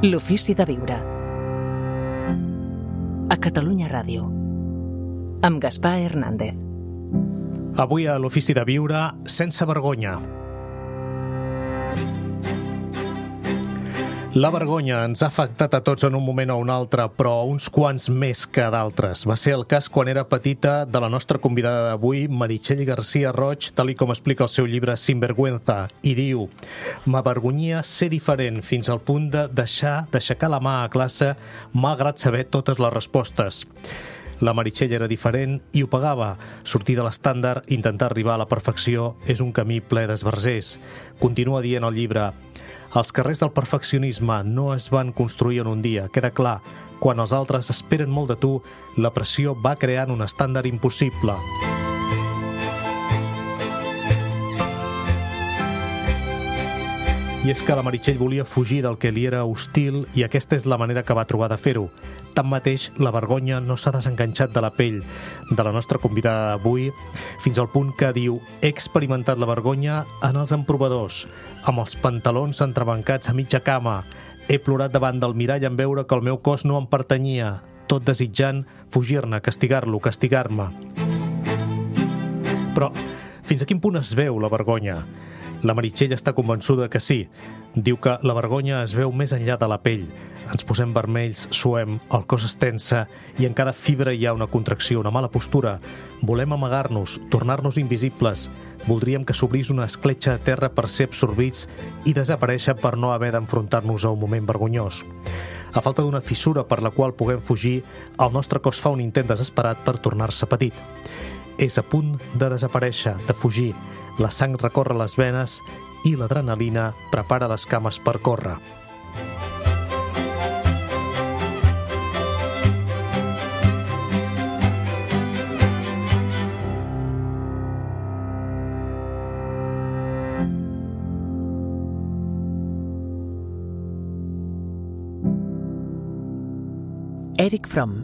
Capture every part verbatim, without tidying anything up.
L'ofici de viure. A Catalunya Ràdio. Amb Gaspar Hernández. Avui a l'ofici de viure, sense vergonya. La vergonya ens ha afectat a tots en un moment o un altre, però a uns quants més que d'altres. Va ser el cas quan era petita de la nostra convidada d'avui, Meritxell García Roig, tal i com explica el seu llibre Sinvergüenza, i diu: m'avergonyia ser diferent fins al punt de deixar d'aixecar la mà a classe malgrat saber totes les respostes. La Meritxell era diferent i ho pagava. Sortir de l'estàndard, intentar arribar a la perfecció, és un camí ple d'esbarzers. Continua dient el llibre: els carrers del perfeccionisme no es van construir en un dia, queda clar. Quan els altres esperen molt de tu, la pressió va creant un estàndard impossible. I és que la Meritxell volia fugir del que li era hostil i aquesta és la manera que va trobar de fer-ho. Tanmateix, la vergonya no s'ha desenganxat de la pell de la nostra convidada d'avui, fins al punt que diu: he experimentat la vergonya en els emprovadors, amb els pantalons entrebancats a mitja cama. He plorat davant del mirall en veure que el meu cos no em pertanyia, tot desitjant fugir-ne, castigar-lo, castigar-me. Però fins a quin punt es veu la vergonya? La Meritxell està convençuda que sí. Diu que la vergonya es veu més enllà de la pell. Ens posem vermells, suem, el cos es tensa i en cada fibra hi ha una contracció, una mala postura. Volem amagar-nos, tornar-nos invisibles. Voldríem que s'obrís una escletxa a terra per ser absorbits i desaparèixer per no haver d'enfrontar-nos a un moment vergonyós. A falta d'una fissura per la qual puguem fugir, el nostre cos fa un intent desesperat per tornar-se petit. És a punt de desaparèixer, de fugir. La sang recorre les venes i l'adrenalina prepara les cames per córrer. Eric Fromm.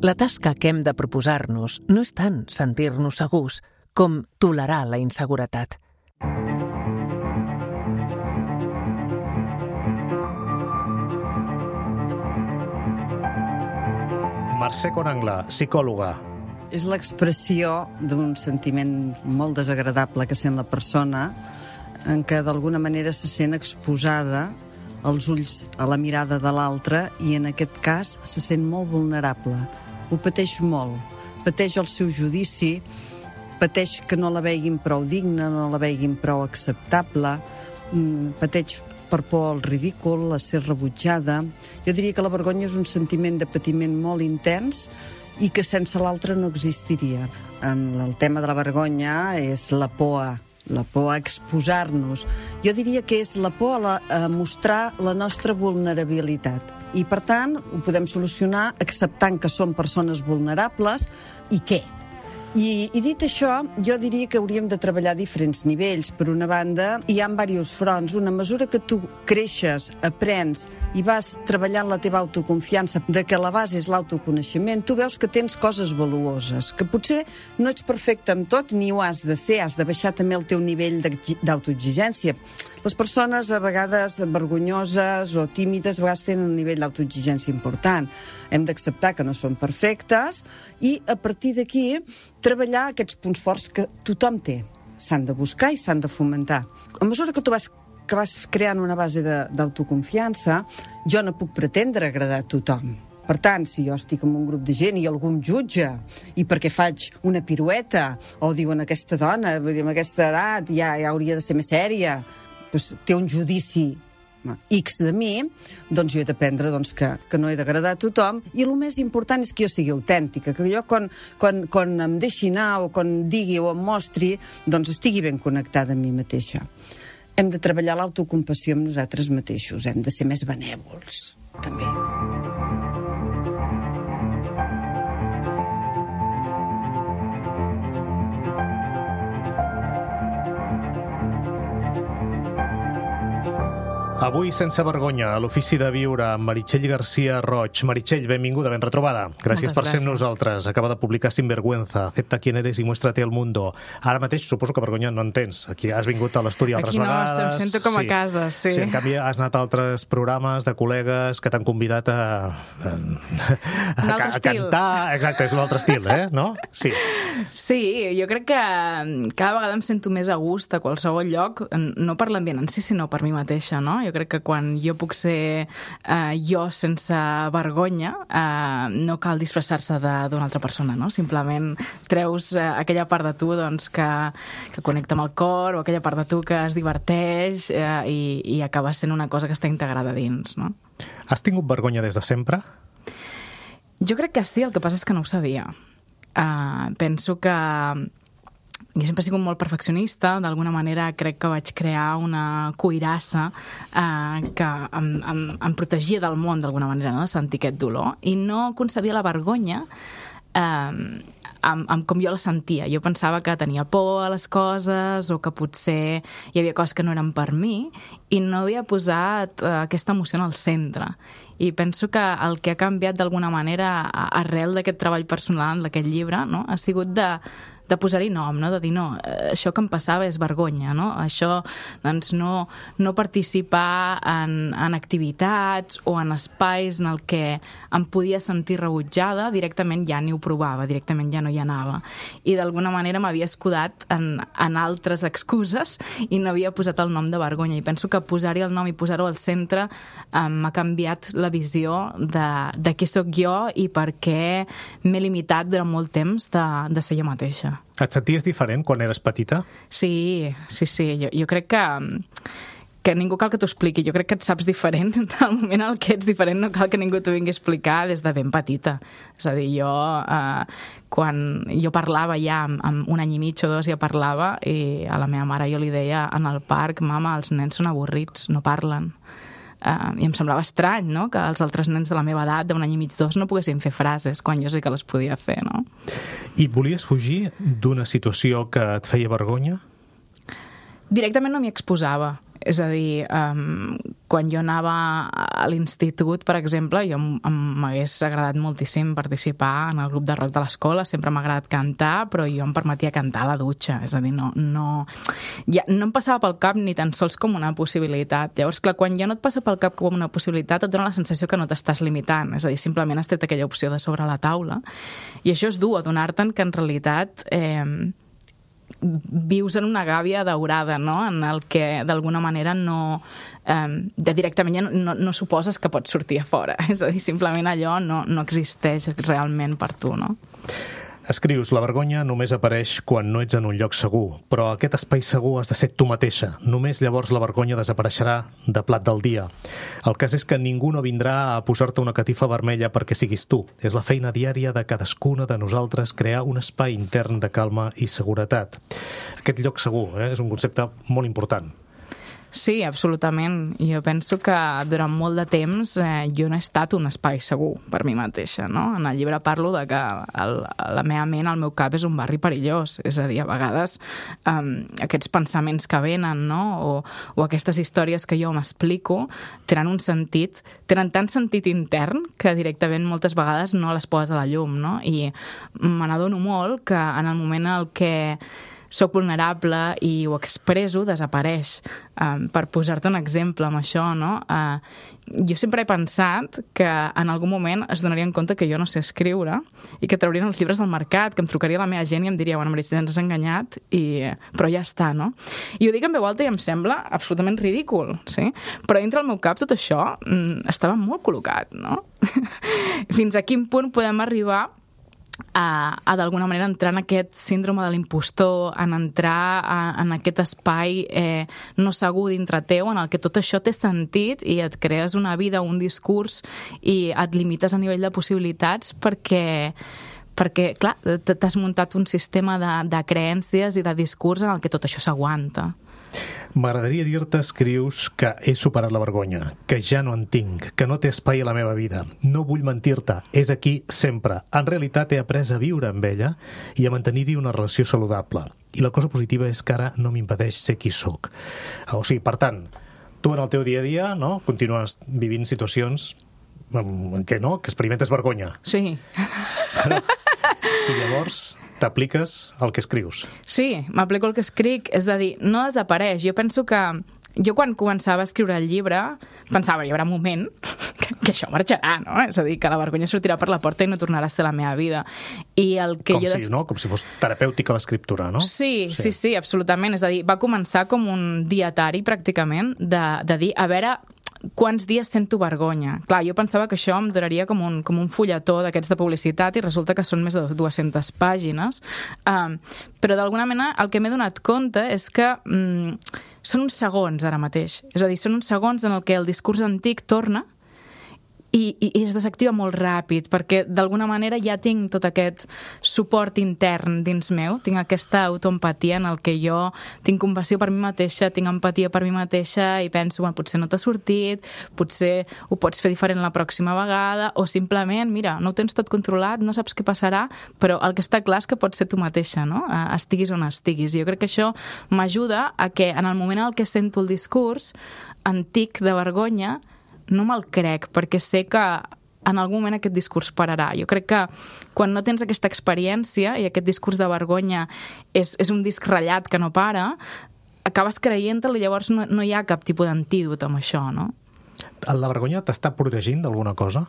La tasca que hem de proposar-nos no és tant sentir-nos segurs com tolerar la inseguretat. Mercè Conangla, psicòloga. És l'expressió d'un sentiment molt desagradable que sent la persona, en què d'alguna manera se sent exposada als ulls, a la mirada de l'altre, i en aquest cas se sent molt vulnerable. Ho pateix molt. Pateix el seu judici, pateix que no la veguin prou digna, no la veguin prou acceptable, pateix per por al ridícul, a ser rebutjada. Jo diria que la vergonya és un sentiment de patiment molt intens i que sense l'altre no existiria. En el tema de la vergonya és la por a, la por a exposar-nos. Jo diria que és la por a, la, a mostrar la nostra vulnerabilitat. I, per tant, ho podem solucionar acceptant que som persones vulnerables i què? I, I dit això, jo diria que hauríem de treballar a diferents nivells. Per una banda, hi ha diversos fronts. Una mesura que tu creixes, aprens i vas treballant la teva autoconfiança, de que la base és l'autoconeixement, tu veus que tens coses valuoses, que potser no ets perfecte en tot, ni ho has de ser, has de baixar també el teu nivell d'autoexigència. Les persones, a vegades vergonyoses o tímides, a vegades tenen un nivell d'autoexigència important. Hem d'acceptar que no són perfectes i, a partir d'aquí, treballar aquests punts forts que tothom té. S'han de buscar i s'han de fomentar. A mesura que tu vas, que vas creant una base d'autoconfiança, jo no puc pretendre agradar a tothom. Per tant, si jo estic en un grup de gent i algú em jutja i perquè faig una pirueta o diuen aquesta dona, amb aquesta edat ja, ja hauria de ser més sèria, doncs té un judici X de mi, doncs jo he d'aprendre doncs, que, que no he d'agradar a tothom, i el més important és que jo sigui autèntica, que jo quan, quan, quan em deixi anar o quan digui o em mostri, doncs estigui ben connectada amb mi mateixa. Hem de treballar l'autocompassió amb nosaltres mateixos, hem de ser més benèvols, també. Avui, sense vergonya, a l'Ofici de Viure amb Meritxell García Roig. Meritxell, benvinguda, ben retrobada. Gràcies Moltes per ser amb gràcies. nosaltres. Acaba de publicar Sinvergüenza, Acepta quién eres y muéstrate al mundo. Ara mateix suposo que vergonya no en tens. Aquí has vingut a l'estudi altres Aquí no, vegades. em sento com a casa, sí. Sí, en canvi has anat a altres programes de col·legues que t'han convidat a, a, a, altre a estil. cantar. Exacte, és un altre estil, eh? No? Sí. Sí, jo crec que cada vegada em sento més a gust a qualsevol lloc, no per l'ambient en si, sinó per mi mateixa, no? Jo crec que quan jo puc ser eh, jo sense vergonya, eh, no cal disfressar-se d'una altra persona, no? Simplement treus eh, aquella part de tu doncs, que, que connecta amb el cor, o aquella part de tu que es diverteix eh, i, i acaba sent una cosa que està integrada dins, no? Has tingut vergonya des de sempre? Jo crec que sí, el que passa és que no ho sabia. Uh, penso que jo sempre he sigut molt perfeccionista, d'alguna manera crec que vaig crear una cuirassa uh, que em, em, em protegia del món d'alguna manera, no? De sentir aquest dolor, i no concebia la vergonya eh, amb, amb com jo la sentia. Jo pensava que tenia por a les coses o que potser hi havia coses que no eren per mi i no havia posat uh, aquesta emoció en el centre. I penso que el que ha canviat d'alguna manera arrel d'aquest treball personal, d'aquest llibre, no? Ha sigut de de posar-hi nom, no? De dir, no, això que em passava és vergonya, no? Això, doncs, no, no participar en, en activitats o en espais en el que em podia sentir rebutjada, directament ja ni ho provava, directament ja no hi anava. I d'alguna manera m'havia escudat en, en altres excuses i no havia posat el nom de vergonya. I penso que posar-hi el nom i posar-ho al centre eh, m'ha canviat la visió de, de qui sóc jo i per què m'he limitat durant molt temps de, de ser jo mateixa. Et senties diferent quan eres petita? Sí, sí, sí. Jo, jo crec que, que ningú cal que t'ho expliqui. Jo crec que et saps diferent. Al moment en què ets diferent no cal que ningú t'ho vingui a explicar des de ben petita. És a dir, jo, eh, quan jo parlava ja, amb, amb un any i mig o dos ja parlava, i a la meva mare jo li deia en el parc, mama, els nens són avorrits, no parlen. Uh, i em semblava estrany, no?, que els altres nens de la meva edat, d'un any i mig, dos, no poguessin fer frases, quan jo sí que les podia fer, no? I volies fugir d'una situació que et feia vergonya? Directament no m'hi exposava. És a dir, um, quan jo anava a l'institut, per exemple, jo m'hagués agradat moltíssim participar en el grup de rock de l'escola, sempre m'ha agradat cantar, però jo em permetia cantar a la dutxa, és a dir, no, no, ja, no em passava pel cap ni tan sols com una possibilitat. Llavors, clar, quan ja no et passa pel cap com una possibilitat, et dona la sensació que no t'estàs limitant, és a dir, simplement has tret aquella opció de sobre la taula, i això és dur, adonar-te'n que en realitat eh, vius en una gàbia daurada, no?, en el que d'alguna manera no, eh, de directament ja no, no suposes que pots sortir a fora, és a dir, simplement allò no, no existeix realment per tu, no? Escrius, la vergonya només apareix quan no ets en un lloc segur, però aquest espai segur has de ser tu mateixa. Només llavors la vergonya desapareixerà de plat del dia. El cas és que ningú no vindrà a posar-te una catifa vermella perquè siguis tu. És la feina diària de cadascuna de nosaltres crear un espai intern de calma i seguretat. Aquest lloc segur, eh, és un concepte molt important. Sí, absolutament. Jo penso que durant molt de temps eh, jo no he estat un espai segur per mi mateixa, no? En el llibre parlo de que el, la meva ment, el meu cap és un barri perillós, és a dir, a vegades um, aquests pensaments que venen, no? O, o aquestes històries que jo m'explico tenen un sentit, tenen tant sentit intern que directament moltes vegades no les poses a la llum, no? I me n'adono molt que en el moment en el que soc vulnerable i ho expresso, desapareix. Um, per posar-te un exemple amb això, no? Uh, jo sempre he pensat que en algun moment es donarien compte que jo no sé escriure i que traurien els llibres del mercat, que em trucaria la meva gent i em diria, bueno, Meritxell, ens has enganyat, i... però ja està, no? I ho dic en veu alta i em sembla absolutament ridícul, sí? Però dintre del meu cap tot això mm, estava molt col·locat, no? Fins a quin punt podem arribar a, a d'alguna manera entrar en aquest síndrome de l'impostor, en entrar a, en aquest espai eh, no segur dintre teu, en el que tot això té sentit i et crees una vida, un discurs, i et limites a nivell de possibilitats perquè, perquè clar, t'has muntat un sistema de, de creences i de discurs en el que tot això s'aguanta. M'agradaria dir-te, escrius, que he superat la vergonya, que ja no en tinc, que no té espai a la meva vida. No vull mentir-te, és aquí sempre. En realitat he après a viure amb ella i a mantenir-hi una relació saludable. I la cosa positiva és que ara no m'impedeix ser qui sóc. O sigui, per tant, Tu en el teu dia a dia, no?, continues vivint situacions en què, no?, que experimentes vergonya. Sí. I llavors t'apliques el que escrius. Sí, m'aplico el que escric, és a dir, no desapareix. Jo penso que jo quan començava a escriure el llibre pensava, hi haurà un moment que, que això marxarà, no? És a dir, que la vergonya sortirà per la porta i no tornarà a ser la meva vida. I el que Com jo si, des... no? Com si fos terapèutica l'escriptura, no? Sí, sí, sí, sí, absolutament. És a dir, va començar com un dietari, pràcticament, de, de dir, a veure quants dies sento vergonya. Clar, jo pensava que això em duraria com un, com un fulletó d'aquests de publicitat i resulta que són més de dues-centes pàgines. Um, però d'alguna manera el que m'he donat compte és que um, són uns segons ara mateix. És a dir, són uns segons en el que el discurs antic torna i, i es desactiva molt ràpid, perquè d'alguna manera ja tinc tot aquest suport intern dins meu, tinc aquesta autoempatia en el que jo tinc compassió per mi mateixa, tinc empatia per mi mateixa i penso, bueno, potser no t'ha sortit, potser ho pots fer diferent la pròxima vegada, o simplement, mira, no ho tens tot controlat, no saps què passarà, però el que està clar és que pots ser tu mateixa, no? Estiguis on estiguis. Jo crec que això m'ajuda a que en el moment en el que sento el discurs antic de vergonya no me'l crec, perquè sé que en algun moment aquest discurs pararà. Jo crec que quan no tens aquesta experiència i aquest discurs de vergonya és, és un disc ratllat que no para, acabes creient-te'l i llavors no, no hi ha cap tipus d'antídot amb això, no? La vergonya t'està protegint d'alguna cosa?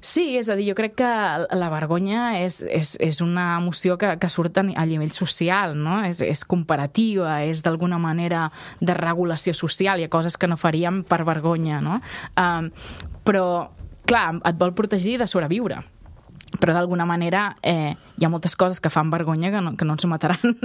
Sí, és a dir, jo crec que la vergonya és, és, és una emoció que, que surt a nivell social, no? És, és comparativa, és d'alguna manera de regulació social, hi ha coses que no faríem per vergonya, no? Um, però, clar, et vol protegir de sobreviure. Però d'alguna manera eh, hi ha moltes coses que fan vergonya que no, que no ens mataran,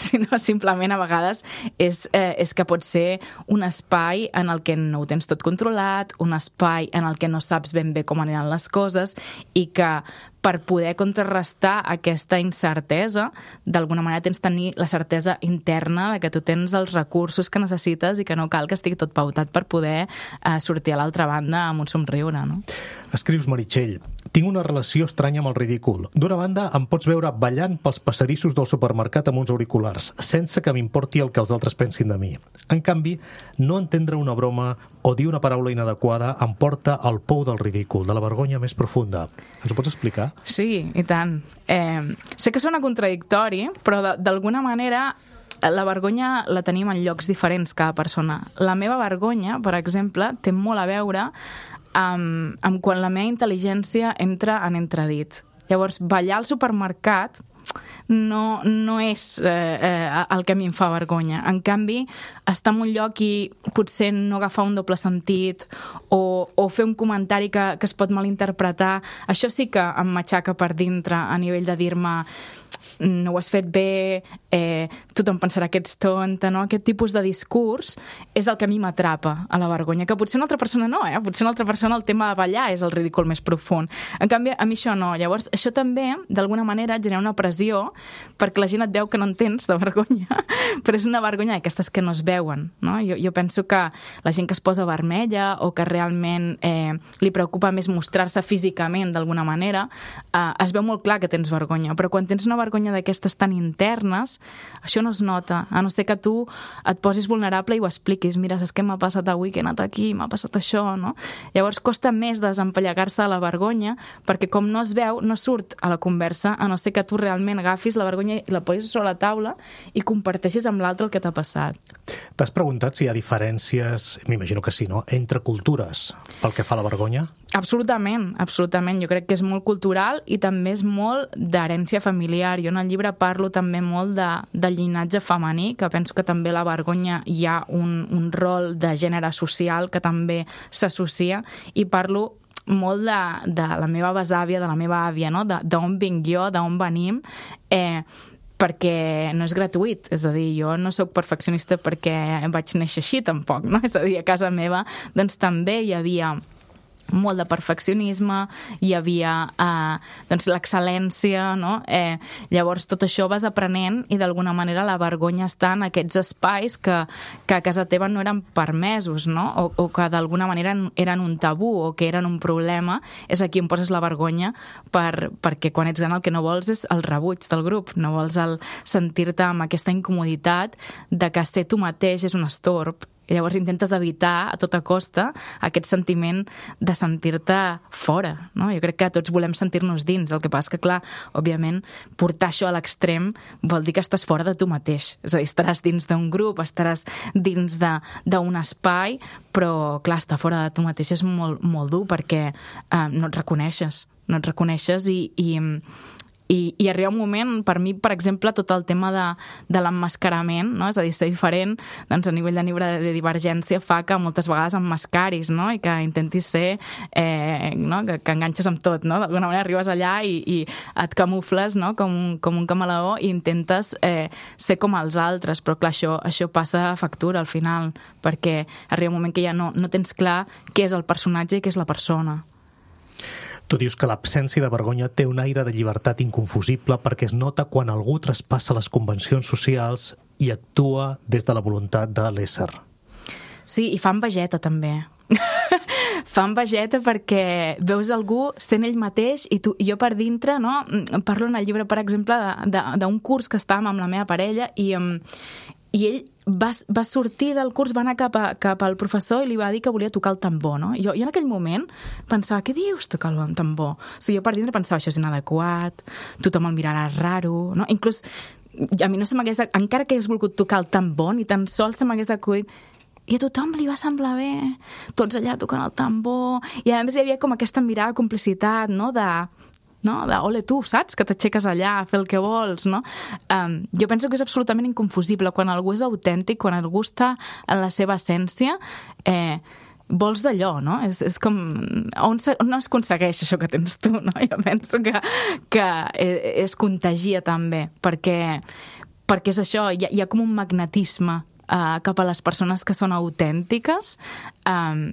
sinó simplement a vegades és, eh, és que pot ser un espai en el que no ho tens tot controlat, un espai en el que no saps ben bé com aniran les coses i que per poder contrarrestar aquesta incertesa, d'alguna manera tens de tenir la certesa interna de que tu tens els recursos que necessites i que no cal que estigui tot pautat per poder eh, sortir a l'altra banda amb un somriure, no? Escrius, Meritxell, tinc una relació estranya amb el ridícul. D'una banda, em pots veure ballant pels passadissos del supermercat amb uns auriculars, sense que m'importi el que els altres pensin de mi. En canvi, no entendre una broma o dir una paraula inadequada em porta al pou del ridícul, de la vergonya més profunda. Ens ho pots explicar? Sí, i tant. Eh, sé que sona contradictori, però d'alguna manera la vergonya la tenim en llocs diferents cada persona. La meva vergonya, per exemple, té molt a veure amb, amb quan la meva intel·ligència entra en entredit. Llavors, ballar al supermercat no, no és eh, eh, el que a mi em fa vergonya. En canvi, estar en un lloc i potser no agafar un doble sentit o, o fer un comentari que, que es pot malinterpretar, això sí que em matxaca per dintre a nivell de dir-me no ho has fet bé, eh, tothom pensarà que ets tonta, no? Aquest tipus de discurs és el que a mi m'atrapa a la vergonya, que potser una altra persona no, eh? Potser una altra persona el tema de ballar és el ridícul més profund. En canvi, a mi això no. Llavors, això també, d'alguna manera, genera una pressió perquè la gent et veu que no en tens de vergonya, però és una vergonya d'aquestes que no es veuen, no? Jo, jo penso que la gent que es posa vermella o que realment eh, li preocupa més mostrar-se físicament d'alguna manera, eh, es veu molt clar que tens vergonya, però quan tens una vergonya d'aquestes tan internes, això no es nota, a no ser que tu et posis vulnerable i ho expliquis. Mira, saps què m'ha passat avui, que he anat aquí, m'ha passat això, no? Llavors costa més desempallegar-se de la vergonya, perquè com no es veu, no surt a la conversa, a no ser que tu realment agafis la vergonya i la posis sobre la taula i comparteixis amb l'altre el que t'ha passat. T'has preguntat si hi ha diferències, m'imagino que sí, no?, entre cultures pel que fa a la vergonya? Absolutament, absolutament. Jo crec que és molt cultural i també és molt d'herència familiar. Jo en el llibre parlo també molt de, de llinatge femení, que penso que també a la vergonya hi ha un, un rol de gènere social que també s'associa, i parlo molt de, de la meva besàvia, de la meva àvia, no? D'on vinc jo, d'on venim, eh, perquè no és gratuït, és a dir, jo no sóc perfeccionista perquè vaig néixer així tampoc, no? És a dir, a casa meva doncs també hi havia molt de perfeccionisme, hi havia eh, doncs l'excel·lència, no? Eh, llavors tot això vas aprenent i d'alguna manera la vergonya està en aquests espais que, que a casa teva no eren permesos, no? O, o que d'alguna manera eren un tabú o que eren un problema. És aquí on poses la vergonya per, perquè quan ets gran el que no vols és el rebuig del grup, no vols el sentir-te amb aquesta incomoditat de que ser tu mateix és un estorb I llavors intentes evitar a tota costa aquest sentiment de sentir-te fora, no? Jo crec que tots volem sentir-nos dins. El que passa és que, clar, òbviament, portar això a l'extrem vol dir que estàs fora de tu mateix. És a dir, estaràs dins d'un grup, estaràs dins d'un espai, però, clar, estar fora de tu mateix és molt, molt dur perquè eh, no et reconeixes. No et reconeixes i... i I, i arriba un moment, per mi, per exemple, tot el tema de, de l'emmascarament, no? És a dir, ser diferent, doncs a nivell de neurodivergència fa que moltes vegades emmascaris, no? I que intentis ser, eh, no? que, que enganxes amb tot, no? D'alguna manera arribes allà i, i et camufles, no? com, un, com un camaleó i intentes eh, ser com els altres, però clar, això, això passa factura al final, perquè arriba un moment que ja no, no tens clar què és el personatge i què és la persona. Tu dius que l'absència de vergonya té un aire de llibertat inconfusible perquè es nota quan algú traspassa les convencions socials i actua des de la voluntat de l'ésser. Sí, i fa envejeta també. Fa envejeta perquè veus algú sent ell mateix i tu, jo per dintre, no? Parlo en el llibre, per exemple, d'un curs que estàvem amb la meva parella i, i ell va, va sortir del curs, va anar cap, a, cap al professor i li va dir que volia tocar el tambor, no? Jo, jo en aquell moment pensava, què dius, tocar el tambor? O sigui, jo per dintre pensava, això és inadequat, tothom el mirarà raro, no? Inclús a mi no se m'hagués, encara que hagués volgut tocar el tambor, ni tan sols se m'hagués acudit. I a tothom li va semblar bé, tots allà tocant el tambor, i a més hi havia com aquesta mirada de complicitat, no?, de... no? De, ole, tu, saps? Que t'aixeques allà a fer el que vols, no? Um, jo penso que és absolutament inconfusible. Quan algú és autèntic, quan algú està en la seva essència, eh, vols d'allò, no? És, és com... On, on es aconsegueix això que tens tu, no? Jo penso que, que es contagia també, perquè, perquè és això, hi ha, hi ha com un magnetisme uh, cap a les persones que són autèntiques, um,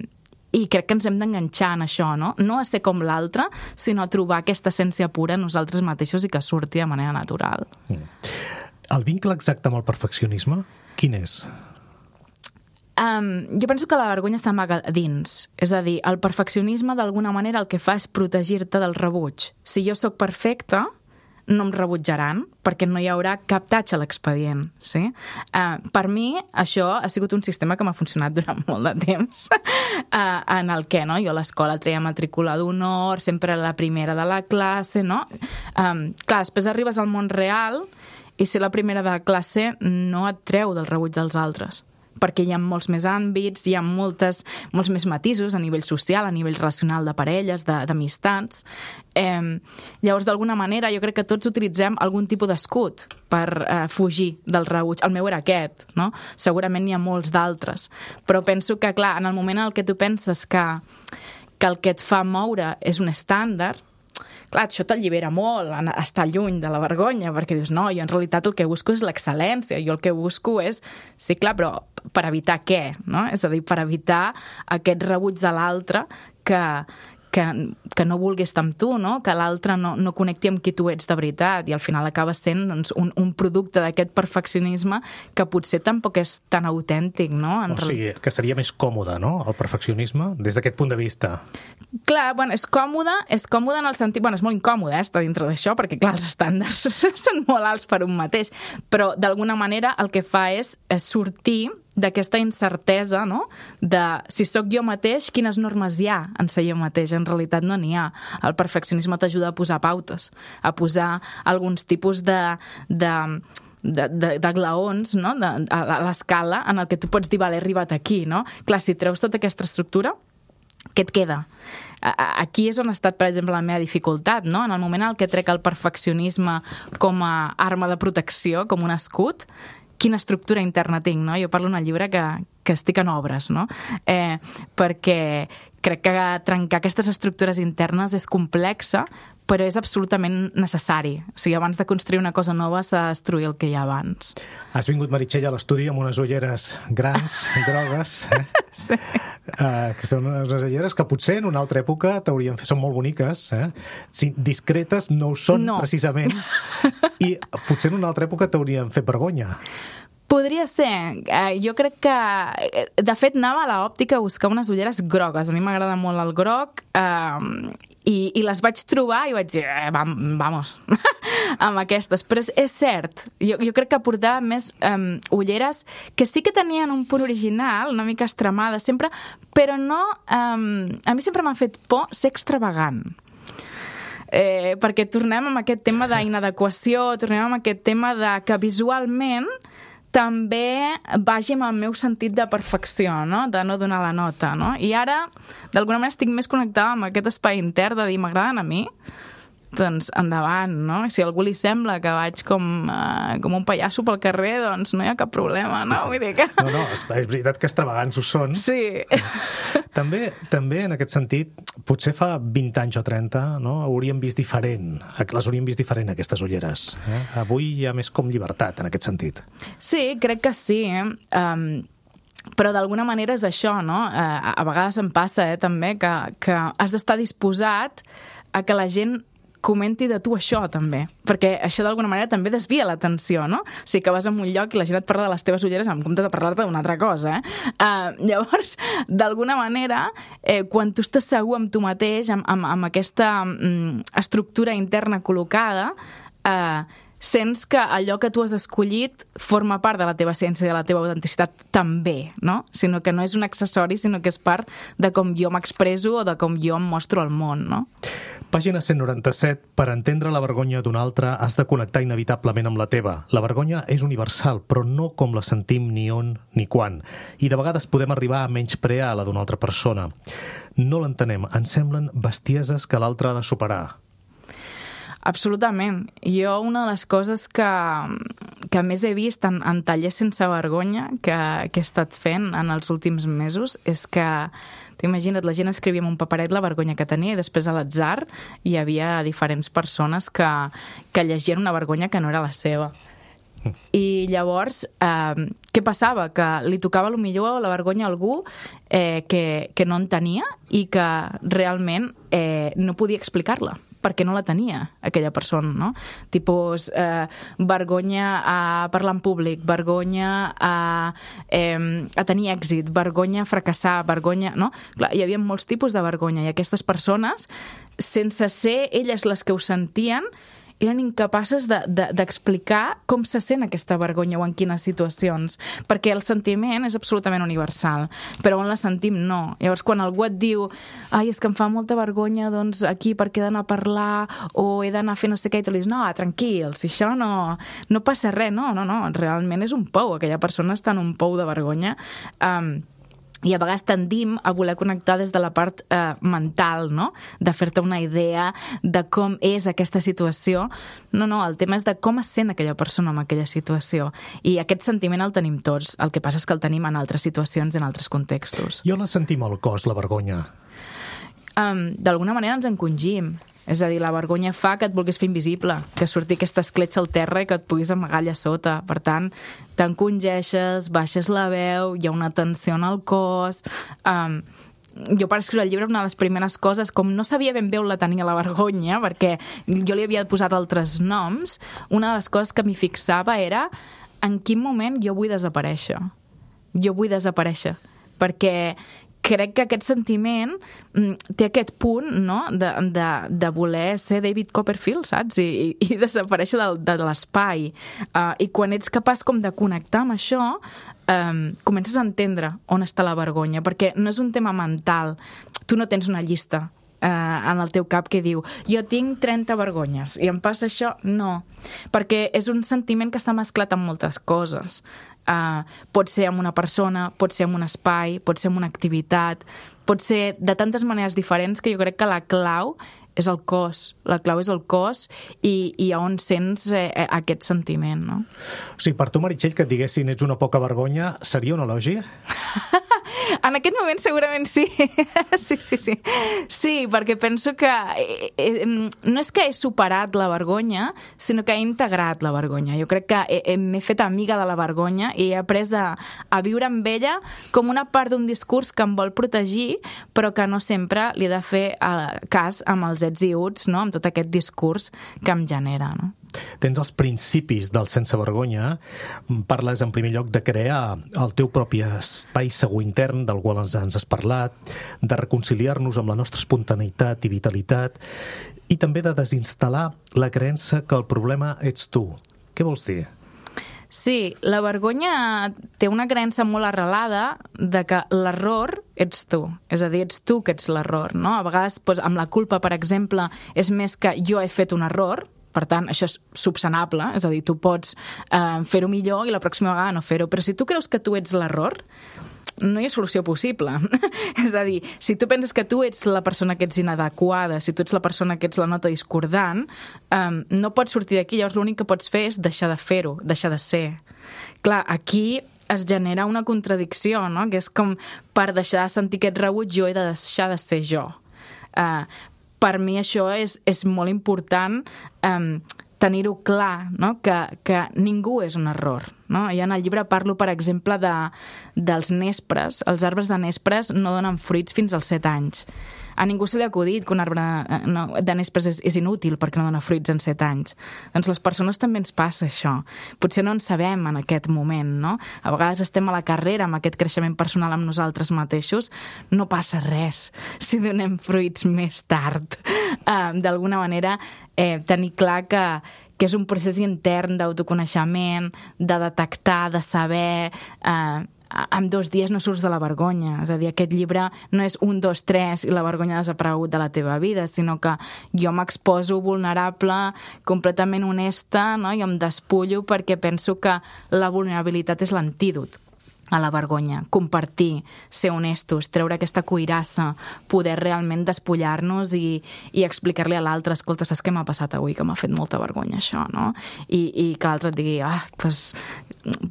i crec que ens hem d'enganxar en això, no? No a ser com l'altre, sinó a trobar aquesta essència pura en nosaltres mateixos i que surti de manera natural. Mm. El vincle exacte amb el perfeccionisme, quin és? Um, jo penso que la vergonya s'amaga dins. És a dir, el perfeccionisme d'alguna manera el que fa és protegir-te del rebuig. Si jo sóc perfecta, no em rebutjaran, perquè no hi haurà cap tatx a l'expedient, sí? Uh, per mi, això ha sigut un sistema que m'ha funcionat durant molt de temps, uh, en el que, no?, jo a l'escola treia matrícula d'honor, sempre la primera de la classe, no? Um, clar, després arribes al món real i ser la primera de la classe no et treu del rebuig dels altres, perquè hi ha molts més àmbits, hi ha moltes, molts més matisos a nivell social, a nivell relacional de parelles, d'amistats. Eh, llavors, d'alguna manera, jo crec que tots utilitzem algun tipus d'escut per eh, fugir del rebuig. El meu era aquest, no? Segurament n'hi ha molts d'altres. Però penso que, clar, en el moment en què tu penses que, que el que et fa moure és un estàndard, clar, això t'allibera molt, estar lluny de la vergonya, perquè dius, no, jo en realitat el que busco és l'excel·lència, jo el que busco és, sí, clar, però per evitar què, no? És a dir, per evitar aquest rebuig de l'altre que, que, que no vulgui estar amb tu, no? Que l'altre no, no connecti amb qui tu ets de veritat, i al final acaba sent doncs, un, un producte d'aquest perfeccionisme que potser tampoc és tan autèntic, no? En o sigui, que seria més còmode, no?, el perfeccionisme, des d'aquest punt de vista. Clar, bueno, és còmode, és còmode en el sentit... Bueno, és molt incòmode, eh, estar dintre d'això, perquè, clar, els estàndards són molt alts per un mateix, però, d'alguna manera, el que fa és, és sortir d'aquesta incertesa, no?, de si sóc jo mateix, quines normes hi ha en ser jo mateix. En realitat no n'hi ha. El perfeccionisme t'ajuda a posar pautes, a posar alguns tipus de... de de, de, de glaons, no?, de, a l'escala en el que tu pots dir, vale, he arribat aquí, no? Clar, si treus tota aquesta estructura, què et queda? Aquí és on ha estat, per exemple, la meva dificultat, no? En el moment en què trec el perfeccionisme com a arma de protecció, com un escut, quina estructura interna tinc, no? Jo parlo en el llibre que, que estic en obres, no? Eh, perquè crec que trencar aquestes estructures internes és complexa, però és absolutament necessari. O sigui, abans de construir una cosa nova s'ha de destruir el que hi ha abans. Has vingut, Meritxell, a l'estudi amb unes ulleres grans, grogues, eh? Sí. Uh, que són unes ulleres que potser en una altra època t'haurien fet... Són molt boniques, eh? Sí, discretes no ho són, no. Precisament, i potser en una altra època t'haurien fet vergonya. Podria ser. Eh, jo crec que... De fet, anava a l'òptica a buscar unes ulleres grogues. A mi m'agrada molt el groc. Eh, i, i les vaig trobar i vaig dir, eh, vam, vamos, amb aquestes. Però és, és cert, jo, jo crec que portava més um, ulleres que sí que tenien un punt original, una mica extremada sempre, però no... Um, a mi sempre m'ha fet por ser extravagant. Eh, perquè tornem amb aquest tema d'inadequació, tornem amb aquest tema de que visualment també vagi amb el meu sentit de perfecció, no? De no donar la nota, no? I ara, d'alguna manera, estic més connectada amb aquest espai intern de dir, m'agraden a mi, doncs endavant, no? Si a algú li sembla que vaig com, uh, com un pallasso pel carrer, doncs no hi ha cap problema, no? Sí, sí. Vull dir que... No, no, és, és veritat que extravagants ho són. Sí. També, també, en aquest sentit, potser fa vint anys o trenta, no? Hauríem vist diferent, les hauríem vist diferent, aquestes ulleres. Eh? Avui hi ha més com llibertat, en aquest sentit. Sí, crec que sí. Eh? Um, però d'alguna manera és això, no? Uh, a vegades em passa, eh, també, que, que has d'estar disposat a que la gent comenti de tu això, també. Perquè això, d'alguna manera, també desvia l'atenció, no? O sigui, que vas a un lloc i la gent et parla de les teves ulleres en comptes de parlar-te d'una altra cosa, eh? Uh, llavors, d'alguna manera, eh, quan tu estàs segur amb tu mateix, amb, amb, amb aquesta um, estructura interna col·locada, eh, sents que allò que tu has escollit forma part de la teva essència i de la teva autenticitat també, no? Sinó que no és un accessori, sinó que és part de com jo m'expresso o de com jo em mostro al món, no? Pàgina cent noranta-set. Per entendre la vergonya d'un altre has de connectar inevitablement amb la teva. La vergonya és universal, però no com la sentim ni on ni quan. I de vegades podem arribar a menysprear la d'una altra persona. No l'entenem. Ens semblen bestieses que l'altre ha de superar. Absolutament. Jo una de les coses que, que més he vist en, en tallers sense vergonya que, que he estat fent en els últims mesos és que, t'imagina't, la gent escrivia en un paperet la vergonya que tenia i després a l'atzar hi havia diferents persones que, que llegien una vergonya que no era la seva. I llavors, eh, què passava? Que li tocava potser la vergonya a algú eh, que, que no en tenia i que realment eh, no podia explicar-la perquè no la tenia aquella persona, no? Tipus, eh, vergonya a parlar en públic, vergonya a, eh, a tenir èxit, vergonya a fracassar, vergonya... No? Clar, hi havia molts tipus de vergonya i aquestes persones, sense ser elles les que ho sentien, eren incapaces d'explicar de, de, com se sent aquesta vergonya o en quines situacions, perquè el sentiment és absolutament universal, però on la sentim no. Llavors, quan algú et diu ai, és que em fa molta vergonya, doncs aquí perquè he d'anar a parlar o he d'anar a fer no sé què, i tu li dius, no, tranquil, si això no, no passa res, no, no, no, realment és un pou, aquella persona està en un pou de vergonya. Um, I a vegades tendim a voler connectar des de la part eh, mental, no? De fer-te una idea de com és aquesta situació. No, no, el tema és de com es sent aquella persona en aquella situació. I aquest sentiment el tenim tots. El que passa és que el tenim en altres situacions, en altres contextos. Jo la sentim al cos, la vergonya. Um, D'alguna manera ens encongim. És a dir, la vergonya fa que et vulguis fer invisible, que surti aquesta escletxa al terra i que et puguis amagar allà sota. Per tant, t'encongeixes, baixes la veu, hi ha una tensió en el cos... Um, jo per escriure el llibre una de les primeres coses, com no sabia ben bé on la tenia la vergonya, perquè jo li havia posat altres noms, una de les coses que m'hi fixava era en quin moment jo vull desaparèixer. Jo vull desaparèixer, perquè crec que aquest sentiment té aquest punt, no?, de, de, de voler ser David Copperfield, saps? I, i, i desaparèixer de, de l'espai. Uh, I quan ets capaç com de connectar amb això, um, comences a entendre on està la vergonya, perquè no és un tema mental. Tu no tens una llista uh, en el teu cap que diu jo tinc trenta vergonyes i em passa això. No, perquè és un sentiment que està mesclat amb moltes coses. Uh, pot ser amb una persona, pot ser amb un espai, pot ser amb una activitat, pot ser de tantes maneres diferents que jo crec que la clau és el cos. La clau és el cos i, i on sents eh, aquest sentiment, no? O sigui, per tu, Meritxell, que et diguessin ets una poca vergonya, seria un elogi? En aquest moment segurament sí. Sí, sí, sí. Sí, perquè penso que eh, eh, no és que he superat la vergonya, sinó que he integrat la vergonya. Jo crec que m'he fet amiga de la vergonya i he après a, a viure amb ella com una part d'un discurs que em vol protegir, però que no sempre li he de fer eh, cas amb els els ets i uts, no? Amb tot aquest discurs que em genera, no? Tens els principis del sense vergonya, parles en primer lloc de crear el teu propi espai segur intern, del qual ens, ens has parlat, de reconciliar-nos amb la nostra espontaneïtat i vitalitat, i també de desinstal·lar la creença que el problema ets tu. Què vols dir? Sí, la vergonya té una creença molt arrelada de que l'error ets tu. És a dir, ets tu que ets l'error, no? A vegades, doncs, amb la culpa, per exemple, és més que jo he fet un error, per tant, això és subsanable, és a dir, tu pots eh, fer-ho millor i la pròxima vegada no fer-ho, però si tu creus que tu ets l'error, no hi ha solució possible. És a dir, si tu penses que tu ets la persona que ets inadequada, si tu ets la persona que ets la nota discordant, um, no pots sortir d'aquí, llavors l'únic que pots fer és deixar de fer-ho, deixar de ser. Clar, aquí es genera una contradicció, no? Que és com, per deixar de sentir aquest rebuig, jo he de deixar de ser jo. Uh, per mi això és, és molt important um, tenir-ho clar, no? que, que ningú és un error. No? I en el llibre parlo, per exemple, de, dels nespres. Els arbres de nespres no donen fruits fins als set anys. A ningú se li ha acudit que un arbre no, de nespres és, és inútil perquè no dona fruits en set anys. Doncs les persones també ens passa això. Potser no en sabem en aquest moment, no? A vegades estem a la carrera amb aquest creixement personal amb nosaltres mateixos. No passa res si donem fruits més tard. Uh, D'alguna manera, eh, tenir clar que que és un procés intern d'autoconeixement, de detectar, de saber... Eh, en dos dies no surts de la vergonya. És a dir, aquest llibre no és un, dos, tres i la vergonya ha desaparegut de la teva vida, sinó que jo m'exposo vulnerable, completament honesta, no? I em despullo perquè penso que la vulnerabilitat és l'antídot a la vergonya. Compartir, ser honestos, treure aquesta cuirassa, poder realment despullar-nos i, i explicar-li a l'altre, escolta, saps què m'ha passat avui? Que m'ha fet molta vergonya això, no? I, i que l'altre et digui, ah, doncs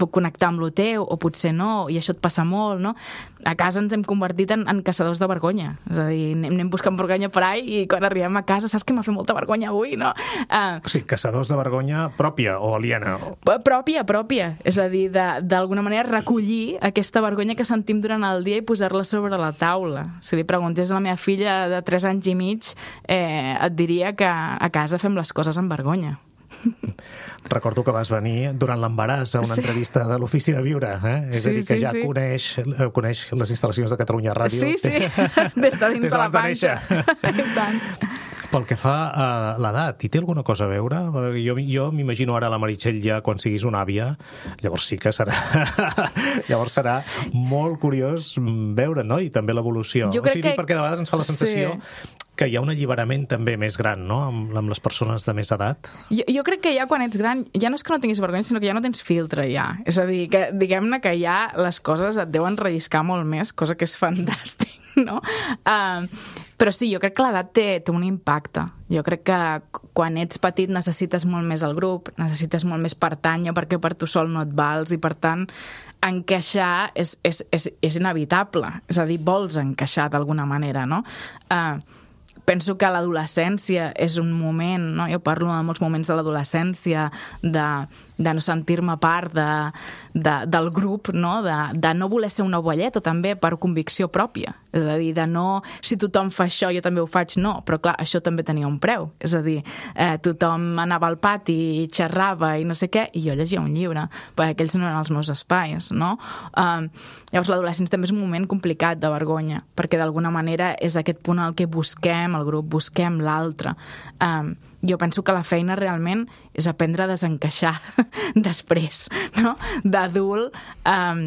puc connectar amb lo teu, o potser no, i això et passa molt, no? A casa ens hem convertit en, en caçadors de vergonya. És a dir, anem, anem buscant vergonya per ahí i quan arribem a casa, saps que m'ha fet molta vergonya avui, no? Uh, o sigui, caçadors de vergonya pròpia o aliena? Pròpia, pròpia. És a dir, d'alguna manera recollir aquesta vergonya que sentim durant el dia i posar-la sobre la taula. Si li preguntés a la meva filla de tres anys i mig, eh, et diria que a casa fem les coses amb vergonya. Recordo que vas venir durant l'embaràs a una sí. entrevista de l'Ofici de Viure, eh? És sí, a dir, que sí, ja sí. coneix, coneix les instal·lacions de Catalunya Ràdio. Sí, sí, des de dins de la panxa. I tant. Pel que fa a l'edat, hi té alguna cosa a veure? Jo, jo m'imagino ara la Meritxell ja quan siguis una àvia, llavors sí que serà llavors serà molt curiós veure, no? I també l'evolució. Jo crec o sigui, que... perquè de vegades ens fa la sensació sí. que hi ha un alliberament també més gran, no?, amb, amb les persones de més edat. Jo, jo crec que ja quan ets gran, ja no és que no tinguis vergonya, sinó que ja no tens filtre, ja. És a dir, que diguem-ne que ja les coses et deuen relliscar molt més, cosa que és fantàstic, no? Uh, però sí, jo crec que l'edat té, té un impacte. Jo crec que quan ets petit necessites molt més el grup, necessites molt més pertànyer perquè per tu sol no et vals i, per tant, encaixar és, és, és, és inevitable. És a dir, vols encaixar d'alguna manera, no? Uh, Penso que l'adolescència és un moment, no? Jo parlo de molts moments de l'adolescència, de, de no sentir-me part de, de, del grup, no? De, de no voler ser una ovelleta també per convicció pròpia. És a dir, de no, si tothom fa això, jo també ho faig, no. Però clar, això també tenia un preu. És a dir, eh, tothom anava al pati i xerrava i no sé què, i jo llegia un llibre, perquè aquells no eren els meus espais, no? Eh, llavors l'adolescència també és un moment complicat de vergonya, perquè d'alguna manera és aquest punt al que busquem el grup, busquem l'altre. Um, jo penso que la feina realment és aprendre a desencaixar després, no? D'adult, um,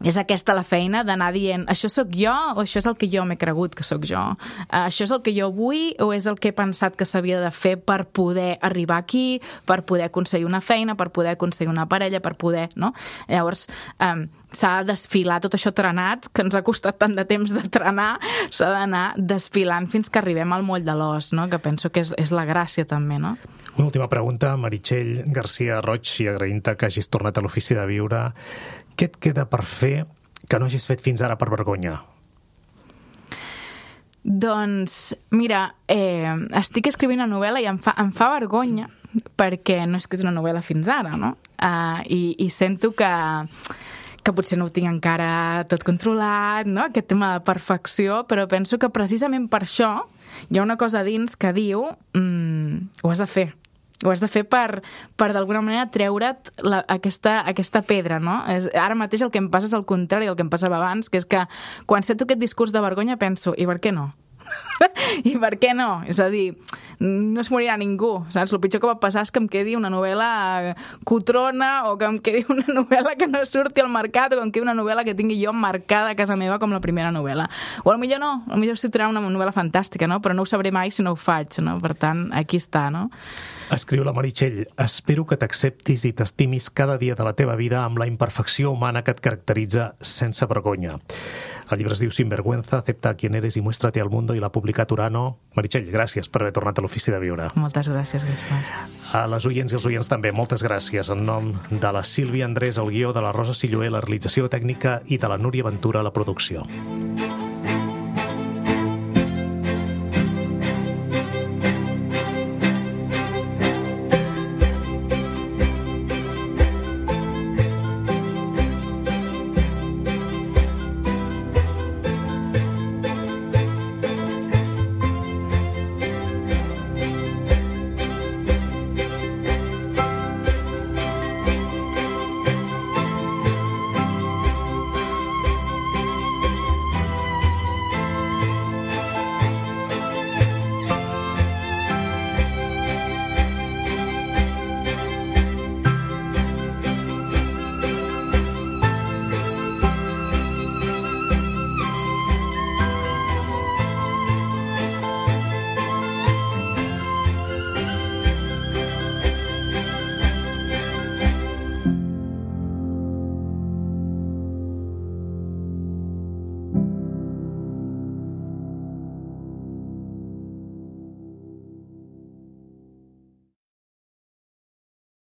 és aquesta la feina d'anar dient això sóc jo o això és el que jo m'he cregut que sóc jo? Uh, això és el que jo vull o és el que he pensat que s'havia de fer per poder arribar aquí, per poder aconseguir una feina, per poder aconseguir una parella, per poder, no? Llavors, um, s'ha de desfilar tot això trenat, que ens ha costat tant de temps de trenar, s'ha d'anar desfilant fins que arribem al moll de l'os, no? Que penso que és, és la gràcia també, no? Una última pregunta, Meritxell Garcia Roig, i agraint-te que hagis tornat a l'Ofici de Viure. Què et queda per fer que no hagis fet fins ara per vergonya? Doncs, mira, eh, estic escrivint una novel·la i em fa, em fa vergonya perquè no he escrit una novel·la fins ara, no? Uh, i, i sento que que potser no ho tinc encara tot controlat, no? Aquest tema de perfecció, però penso que precisament per això hi ha una cosa dins que diu mm, ho has de fer. Ho has de fer per, per d'alguna manera treure't la, aquesta, aquesta pedra, no? És, ara mateix el que em passa és el contrari del que em passava abans, que és que quan sento aquest discurs de vergonya penso, i per què no? I per què no? És a dir, no es morirà ningú, saps? El pitjor que va passar és que em quedi una novel·la cotrona o que em quedi una novel·la que no surti al mercat o que em quedi una novel·la que tingui jo marcada a casa meva com la primera novel·la. O potser no, potser sortirà una novel·la fantàstica, no? Però no ho sabré mai si no ho faig, no? Per tant, aquí està, no? Escriu la Meritxell, espero que t'acceptis i t'estimis cada dia de la teva vida amb la imperfecció humana que et caracteritza sense vergonya. El llibre es diu Sinvergüenza, acepta quien eres y muéstrate al mundo i l'ha publicat Urano. Meritxell, gràcies per haver tornat a l'Ofici de Viure. Moltes gràcies, Gaspar. A les oients i els oients també, moltes gràcies. En nom de la Sílvia Andrés, el guió, de la Rosa Silloé, la realització tècnica i de la Núria Ventura, la producció.